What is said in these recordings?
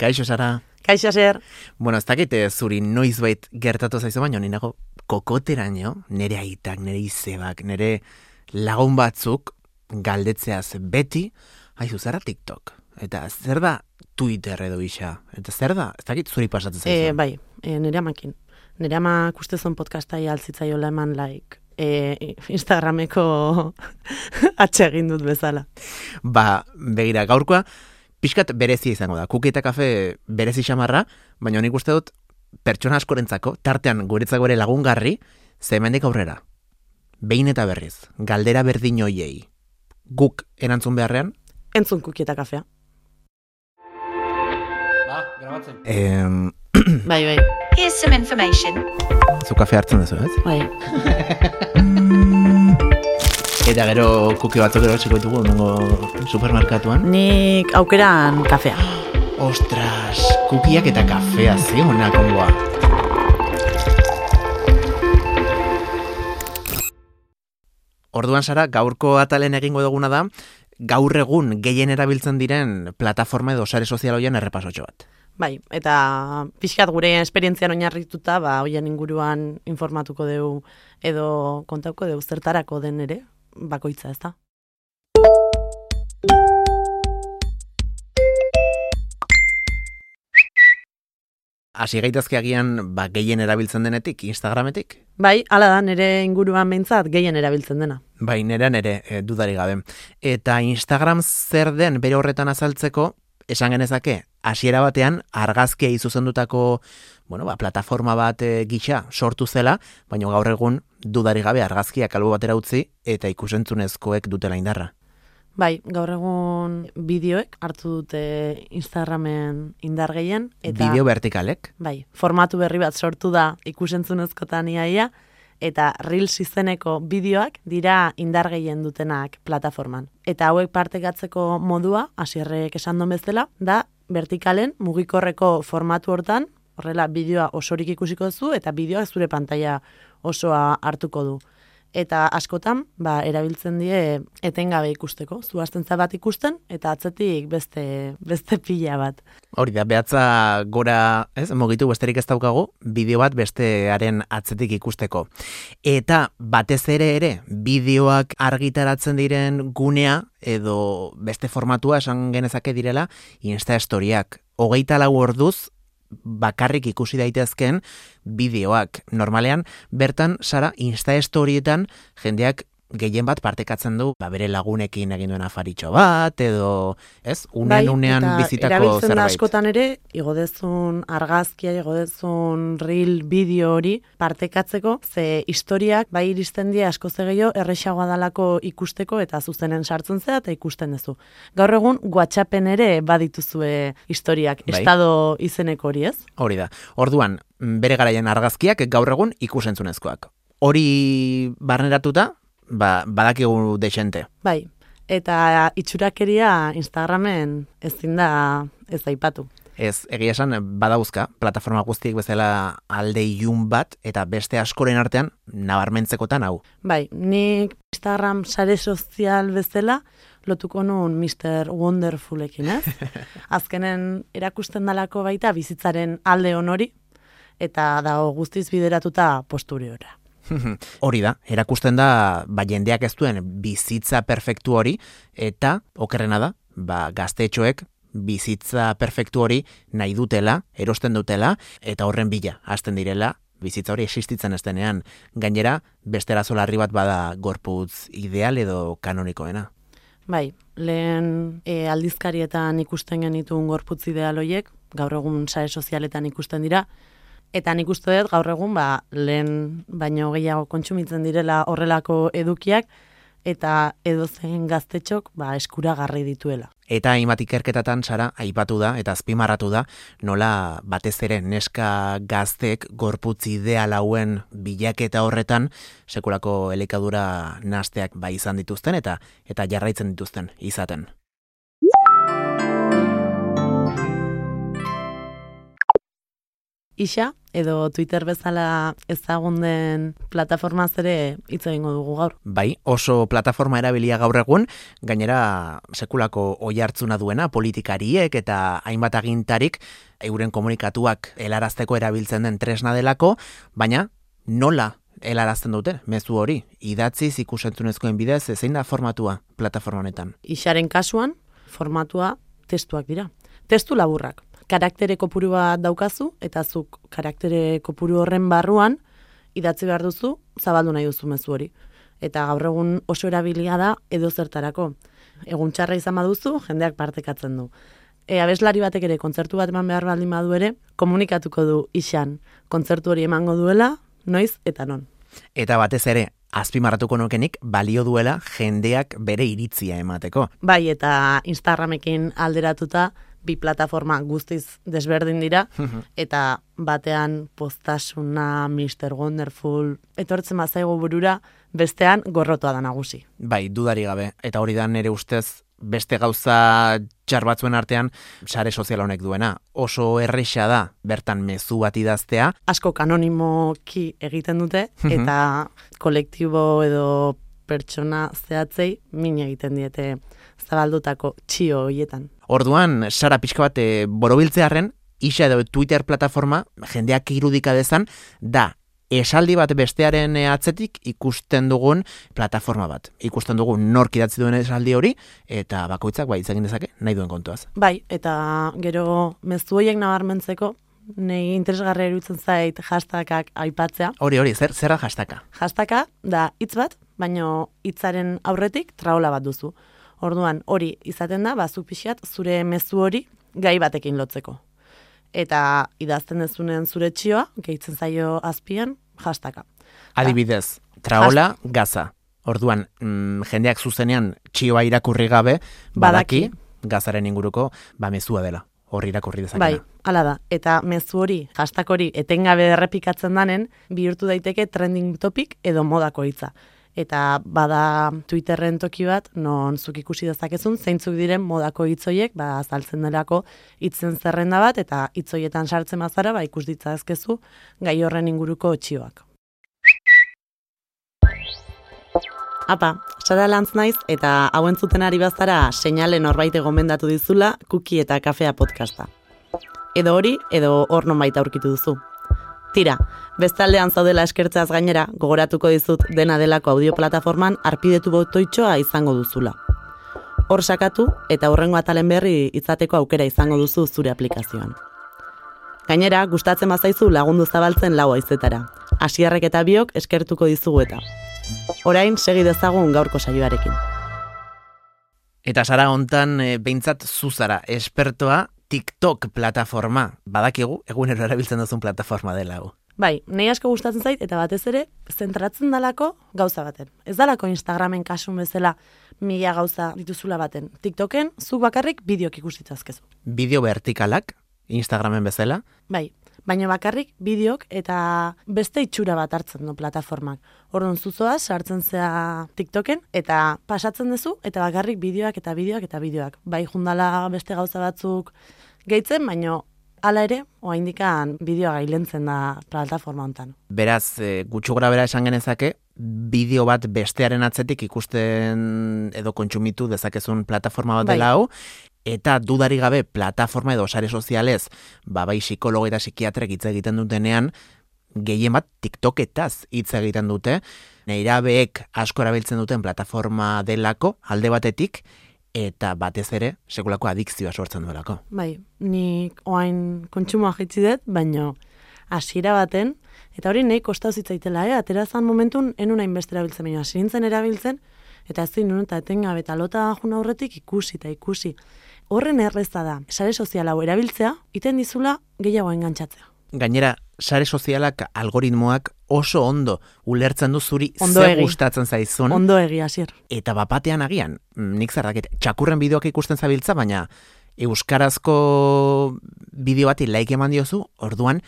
Kaixo, Sara. Kaixo, Zer. Bueno, ez dakit zuri noizbait gertatu zaizu, baina ninago kokoteraino, nire aitak, nire izebak, nire lagun batzuk galdetzeaz beti, haizu, zara TikTok. Eta zer da Twitter edo isa? Eta zer da? Ez dakit zuri pasatzen zaizu? Bai, nire amakin. Nire amak ustezon podcastai altzitzaiola eman Instagrameko atsegin dut bezala. Ba, begira, gaurkoa, pixkat berezia izango da. Kuki eta kafe berezi xamarra, baina nik uste dut pertsona askorentzako, tartean guretzako ere lagungarri, zemendik aurrera. Behin eta berriz, galdera berdin hoiei. Guk erantzun beharrean? Entzun kuki eta kafea. Ba, grabatzen. Bai. Here's some information. Zu kafe hartzen duzu, ez? Bai. Eta gero kuki batzuk ero txiko ditugu, nengo supermerkatuan. Nik aukeran kafea. Ostras, kukiak eta kafea ziona kongoa. Orduan, Sara, gaurko atalen egingo duguna da, gaur egun gehien erabiltzen diren plataforma edo sare sozial hoien errepasotxo bat. Bai, eta pixkat gure esperientzian oinarrituta, hoien inguruan informatuko dugu edo kontauko dugu zertarako den ere, bakoitza, ez da? Hasi gaitazke agian gehien erabiltzen denetik, Instagrametik? Bai, hala da, nire inguruan behintzat gehien erabiltzen dena. Bai, nerean ere dudari gabe. Eta Instagram zer den bere horretan azaltzeko, esan genezake, hasiera batean argazkia izuzendutako plataforma bat gisa sortu zela, baina gaur egun dudari gabe argazkiak albo batera utzi eta ikusentzunezkoek dutela indarra. Bai, gaur egun bideoek hartu dute Instagramen indar gehien. Bideo vertikalek? Bai, formatu berri bat sortu da ikusentzunezkotan iaia, eta Reels izeneko bideoak dira indar gehien dutenak plataforman. Eta hauek partekatzeko modua, hasierrek esan duen bezala, da vertikalen mugikorreko formatu hortan, horrela bideoa osorik ikusiko duzu, eta bideoa zure pantaila osoa hartuko du. Eta askotan, erabiltzen die etengabe ikusteko. Zu hastentza bat ikusten, eta atzetik beste pila bat. Hori da, behatza gora, mugitu besterik ez daukagu, bideo bat bestearen atzetik ikusteko. Eta batez ere, bideoak argitaratzen diren gunea, edo beste formatua esan genezake direla, Insta Storyak. 24 orduz, bakarrik ikusi daitezken bideoak. Normalean, bertan, Sara, Insta Storietan jendeak gehien bat partekatzen du, bere lagunekin egin duen afaritxo bat, edo, unean bizitako zerbait. Erabiltzen da askotan ere, igodezun argazkia, igodezun reel bideo hori partekatzeko, ze historiak iristen die asko gehiago errexagoa dalako ikusteko eta zuzenen sartzen zea eta ikusten duzu. Gaur egun, WhatsAppen ere badituzue historiak, estado izeneko hori, ez? Hori da. Orduan, bere garaian argazkiak gaur egun ikusentzunezkoak. Hori barneratuta, badakigu dexente. Bai, eta itxurakeria Instagramen ezin da ez aipatu. Ez, egia esan badauzka, plataforma guztiek bezala alde ilun bat, eta beste askoren artean nabarmentzekotan hau. Bai, nik Instagram sare sozial bezala lotuko nun Mr. Wonderfulekin, ez? Azkenen erakusten dalako baita bizitzaren alde honori, eta dago guztiz bideratuta posturiora. Hori da, erakusten da, jendeak ez duen bizitza perfektu hori, eta, okerrena da, gaztetxoek bizitza perfektu hori nahi dutela, erosten dutela, eta horren bila, hasten direla, bizitza hori existitzen ez denean. Gainera, beste arazo larri bat bada gorputz ideal edo kanonikoena. Bai, lehen aldizkarietan ikusten genituen gorputz ideal horiek, gaur egun sare sozialetan ikusten dira, eta nik uste dut gaur egun lehen baino gehiago kontsumitzen direla horrelako edukiak, eta edozein gaztetxok eskuragarri dituela. Eta hainbat ikerketatan, Sara, aipatu da eta azpimarratu da, nola batez ere neska gaztek gorputz ideal hauen bilaketa horretan sekulako elikadura nahasteak izan dituzten eta jarraitzen dituzten izaten. Isa, edo Twitter bezala ezagun den plataformaz ere hitz egingo dugu gaur. Bai, oso plataforma erabilia gaur egun, gainera sekulako oihartzuna duena politikariek eta hainbat agintarik euren komunikatuak helarazteko erabiltzen den tresna delako, baina nola helarazten dute mezu hori? Idatziz ikusentzunezkoen bidez, zein da formatua plataforma honetan? Ixaren kasuan, formatua testuak dira. Testu laburrak. Karaktere kopuru bat daukazu, eta zuk karaktere kopuru horren barruan idatzi behar duzu, zabaldu nahi duzu mezu hori. Eta gaur egun oso erabilia da edo zertarako. Egun txarra izan baduzu, jendeak partekatzen du. Abeslari batek ere kontzertu bat eman behar baldin badu ere, komunikatuko du Ixan kontzertu hori emango duela, noiz eta non. Eta batez ere, azpimarratuko nukenik balio duela jendeak bere iritzia emateko. Bai, eta Instagramekin alderatuta, bi plataforma guztiz desberdin dira, eta batean postasuna, Mr. Wonderful, etortzen bazaigu burura, bestean gorrotoa da nagusi. Bai, dudari gabe, eta hori da nere ustez, beste gauza txar batzuen artean sare sozial honek duena. Oso erresa da bertan mezu bat idaztea. Asko kanonimoki egiten dute, eta kolektibo edo pertsona zehatzei min egiten diete zabaldutako txio hoietan. Orduan, Sara pixka bat borobiltzearren, Ixa edo Twitter plataforma, jendeak irudika dezan, da esaldi bat bestearen atzetik ikusten dugun plataforma bat. Ikusten dugun nork idatzi duen esaldi hori, eta bakoitzak bai hitz egin dezake nahi duen kontuaz. Bai, eta gero mezu horiek nabarmentzeko, nei interesgarria iruditzen zait hashtagak aipatzea. Hori, zer da hashtagka? Hashtagka da hitz bat, baino hitzaren aurretik traola bat duzu. Orduan, hori izaten da, bazuk pixat, zure mezu hori gai batekin lotzeko. Eta idazten dezunen zure txioa, gehitzen zaio azpian, hashtagka. Adibidez, traola, gaza. Orduan, jendeak zuzenean txioa irakurri gabe, badaki gazaren inguruko mezua dela. Hor irakurri dezakena. Bai, hala da. Eta mezu hori, hashtag hori, etengabe errepikatzen danen, bihurtu daiteke trending topic edo modako hitza. Eta bada Twitterren toki bat, non zuk ikusi dezakezun, zeintzuk diren modako hitzoiek, azaltzen delako hitzen zerrenda bat, eta hitzoietan sartzen bazara, ikus ditzazkezu gai horren inguruko txioak. Apa, Sara Lantz naiz, eta hau entzuten ari bazara seinale norbait gomendatu dizula Kuki eta Kafea podcasta. Edo hori, edo hor nonbait aurkitu duzu. Tira, bestaldean zaudela eskertzeaz gainera, gogoratuko dizut dena delako audioplataforman arpidetu botoitxoa izango duzula. Hor sakatu eta hurrengo atalen berri izateko aukera izango duzu zure aplikazioan. Gainera, gustatzen bazaizu lagundu zabaltzen lau haizetara. Asierrek eta biok eskertuko dizugu eta. Orain, segi dezagun gaurko saioarekin. Eta Sara hontan behintzat zuzara, espertoa TikTok plataforma. Badakigu, egunero erabiltzen duzun plataforma dela hau. Bai, nahi asko gustatzen zait, eta batez ere, zentratzen dalako gauza baten. Ez dalako Instagramen kasun bezala 1000 gauza dituzula baten. TikToken, zuk bakarrik bideok ikustitzazkezu. Bideo vertikalak, Instagramen bezala? Bai, baina bakarrik bideok eta beste itxura bat hartzen du plataformak. Orduan zuzoa sartzen zea TikToken eta pasatzen duzu eta bakarrik bideoak eta bideoak eta bideoak. Bai jundala beste gauza batzuk gehitzen, baina hala ere, oraindikan bideoa gailentzen da plataforma hontan. Beraz, gutxu gora bera esan genezake, bideo bat bestearen atzetik ikusten edo kontsumitu dezakezun plataforma bat dela hau, eta dudari gabe plataforma edo sare sozialez, bai psikologo eta psikiatrek hitz egiten dutenean, gehien bat TikToketaz hitz egiten dute, neirabeek asko erabiltzen duten plataforma delako alde batetik, eta batez ere, sekulako adikzioa sortzen duelako. Bai, nik oain kontsumoa jaitsi dut, baina hasiera baten, eta hori nahi kostau zitzaitela, aterazan momentun enun hainbeste erabiltzen, baina hasi nintzen erabiltzen, eta ez zinun eta etengabe eta lota jun aurretik ikusi eta ikusi. Horren erreza da, sare sozial hau erabiltzea, iten dizula gehiago engantzatzea. Gainera, sare sozialak algoritmoak oso ondo ulertzen du zuri ze gustatzen zaizun. Ondo egi, Asier. Eta bapatean agian, nik zerraket, txakurren bideoak ikusten zabiltza, baina euskarazko bideo bati like eman diozu, orduan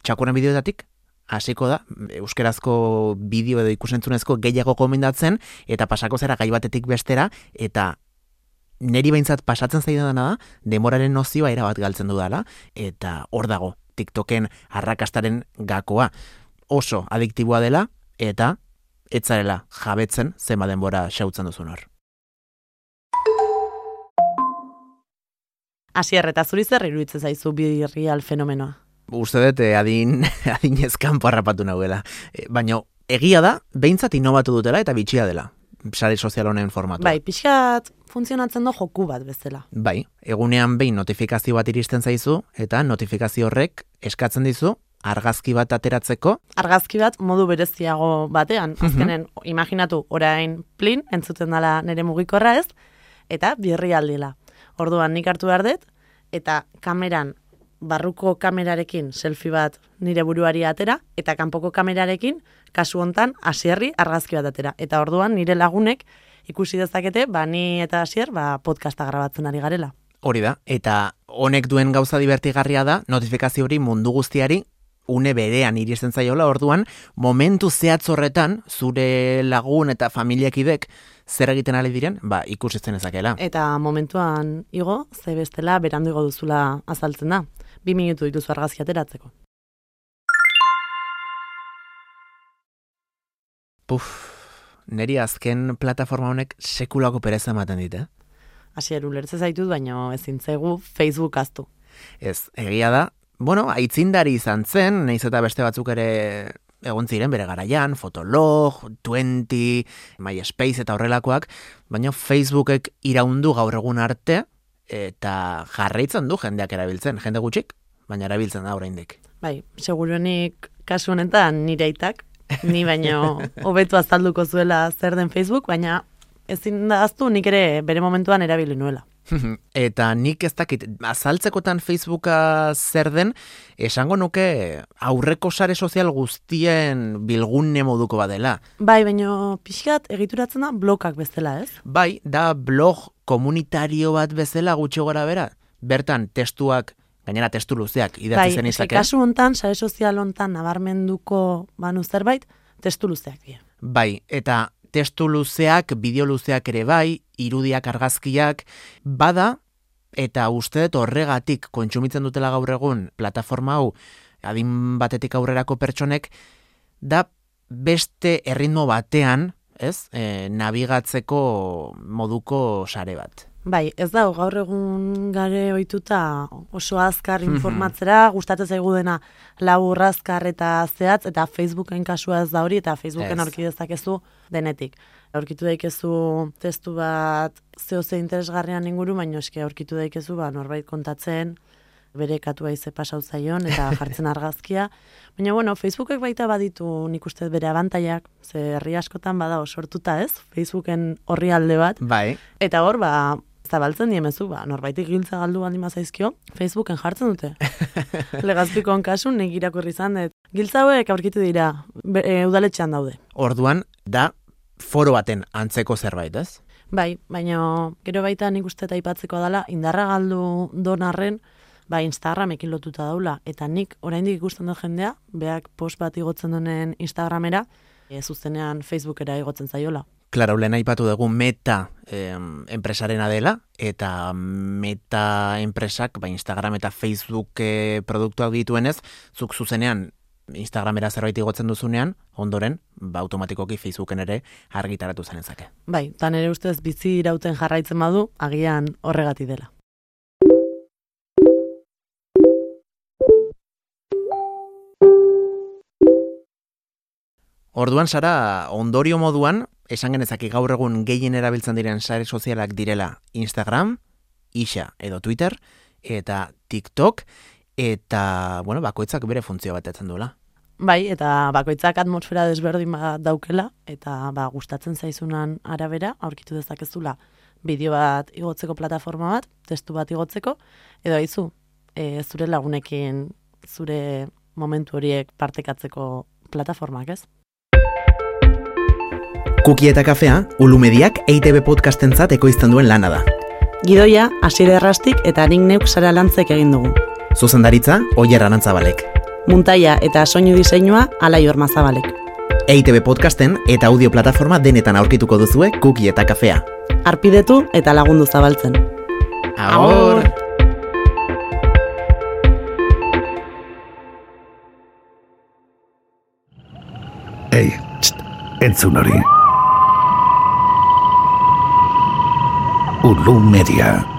txakurren bideoetatik hasiko da, euskarazko bideo edo ikusentzunezko gehiago gomendatzen, eta pasako zera gai batetik bestera, eta neri behintzat pasatzen zaidana da, demoraren nozioa erabat galtzen dudala, eta hor dago TikToken arrakastaren gakoa. Oso adiktiboa dela, eta etzarela jabetzen zenba denbora xautzen duzun hor. Asier, eta zuri zer iruditzen zaizu birrial fenomenoa? Uste dut adinez kanpo harrapatu nahuela. Baina egia da, behintzat inobatu dutela eta bitxia dela. Sare sozial honen formatua. Bai, pixkat funtzionatzen do joku bat bezala. Bai, egunean behin notifikazio bat iristen zaizu, eta notifikazio horrek eskatzen dizu argazki bat ateratzeko. Argazki bat modu bereziago batean. Azkenen, imaginatu, orain plin, entzuten dela nire mugikorra ez, eta birrialdila. Orduan nik hartu behar dut, eta kameran, barruko kamerarekin selfie bat nire buruari atera, eta kanpoko kamerarekin, kasu hontan, Asierri argazki bat atera. Eta orduan nire lagunek ikusi dezakete, ni eta Asier, podcasta grabatzen ari garela. Hori da, eta honek duen gauza divertigarria da, notifikazio hori mundu guztiari, une berean iristen zaiola, orduan, momentu zehatz horretan, zure lagun eta familiakidek zer egiten ari diren, ikusitzen ezakela. Eta momentuan igo, ze bestela berandu igo duzula azaltzen da. 2 minutu dituzu argazki ateratzeko. Neri azken plataforma honek sekulako pereza ematen dit, Asier, ulertze zaitut, baina ezin zaigu Facebook aztu. Ez, egia da, aitzindari izan zen, nahiz eta beste batzuk ere egon ziren bere garaian, Fotolog, 20, MySpace eta horrelakoak, baina Facebookek iraundu gaur egun arte, eta jarraitzen du jendeak erabiltzen, jende gutxik, baina erabiltzen da oraindik. Bai, seguruenik kasu honetan nire aitak, ni baino hobetu azalduko zuela zer den Facebook, baina ezin da aztu nik ere bere momentuan erabili nuela. Eta nik ez dakit, azaltzekotan Facebooka zer den, esango nuke aurreko sare sozial guztien bilgune moduko badela. Bai, baina pixkat egituratzen da blogak bezala, ez? Bai, da blog komunitario bat bezala gutxi gora bera. Bertan testuak, gainera testu luzeak idatzi zen izake. Bai, kasu hontan, sare sozial hontan nabarmenduko banu zerbait, testu luzeak dira. Bai, eta testu luzeak, bideo luzeak ere bai, irudiak, argazkiak, bada, eta uste dut horregatik kontsumitzen dutela gaur egun plataforma hau, adin batetik aurrerako pertsonek, da beste erritmo batean, nabigatzeko moduko sare bat. Bai, ez da, gaur egun gare ohituta oso azkar informatzera, gustatzen zaigu dena labur azkar eta zehatz, eta Facebooken kasua ez da hori, eta Facebooken aurki dezakezu denetik. Aurkitu daikezu testu bat zehose interesgarrian inguru, baina eske aurkitu daikezu norbait kontatzen, bere katua ize pasau zaion, eta jartzen argazkia. Baina, Facebookek baita baditu nik uste bere abantaiak, ze herri askotan bada sortuta ez, Facebooken horri alde bat. Bai. Eta hor, zabaltzen diemezu, norbaitik giltza galdu baldin bazaizkio, Facebooken jartzen dute. Legazpikon kasun, nik irakurri izan dut. Giltza hauek aurkitu dira, udaletxean daude. Orduan, da foro baten antzeko zerbait, ez? Bai, baina gero baita nik uste eta aipatzeko dela, indarra galdu donarren, Instagramekin lotuta daula, eta nik oraindik ikusten dut jendea, beak post bat igotzen duen Instagramera, zuzenean Facebookera igotzen zaiola. Claro, lehen aipatu dugu Meta enpresarena dela, eta Meta enpresak, Instagram eta Facebook produktuak dituenez, zuk zuzenean Instagramera zerbait igotzen duzunean, ondoren, automatikoki Facebooken ere argitaratu zenezake. Bai, eta nire ustez bizi irauten jarraitzen badu, agian horregatik dela. Orduan, Sara, ondorio moduan, esan genezaki gaur egun gehien erabiltzen diren sare sozialak direla Instagram, Ixa edo Twitter, eta TikTok, eta, bakoitzak bere funtzio batetzen duela. Bai, eta bakoitzak atmosfera desberdin bat daukela, eta gustatzen zaizunan arabera, aurkitu dezakezula bideo bat igotzeko plataforma bat, testu bat igotzeko, edo haizu, zure lagunekin, zure momentu horiek partekatzeko plataformak, ez? Kuki eta kafea, Ulumediak EITB podcastentzat ekoizten duen lana da. Gidoia, Asier Errastik eta nik neuk Sara Lantzek egin dugu. Zuzendaritza, Oier Arantzabalek. Muntaia eta soinu diseinua, Alai Ormazabalek. EITB podcasten eta audio plataforma denetan aurkituko duzue Kuki eta kafea. Arpidetu eta lagundu zabaltzen. Agur! entzun hori. Ulu Media.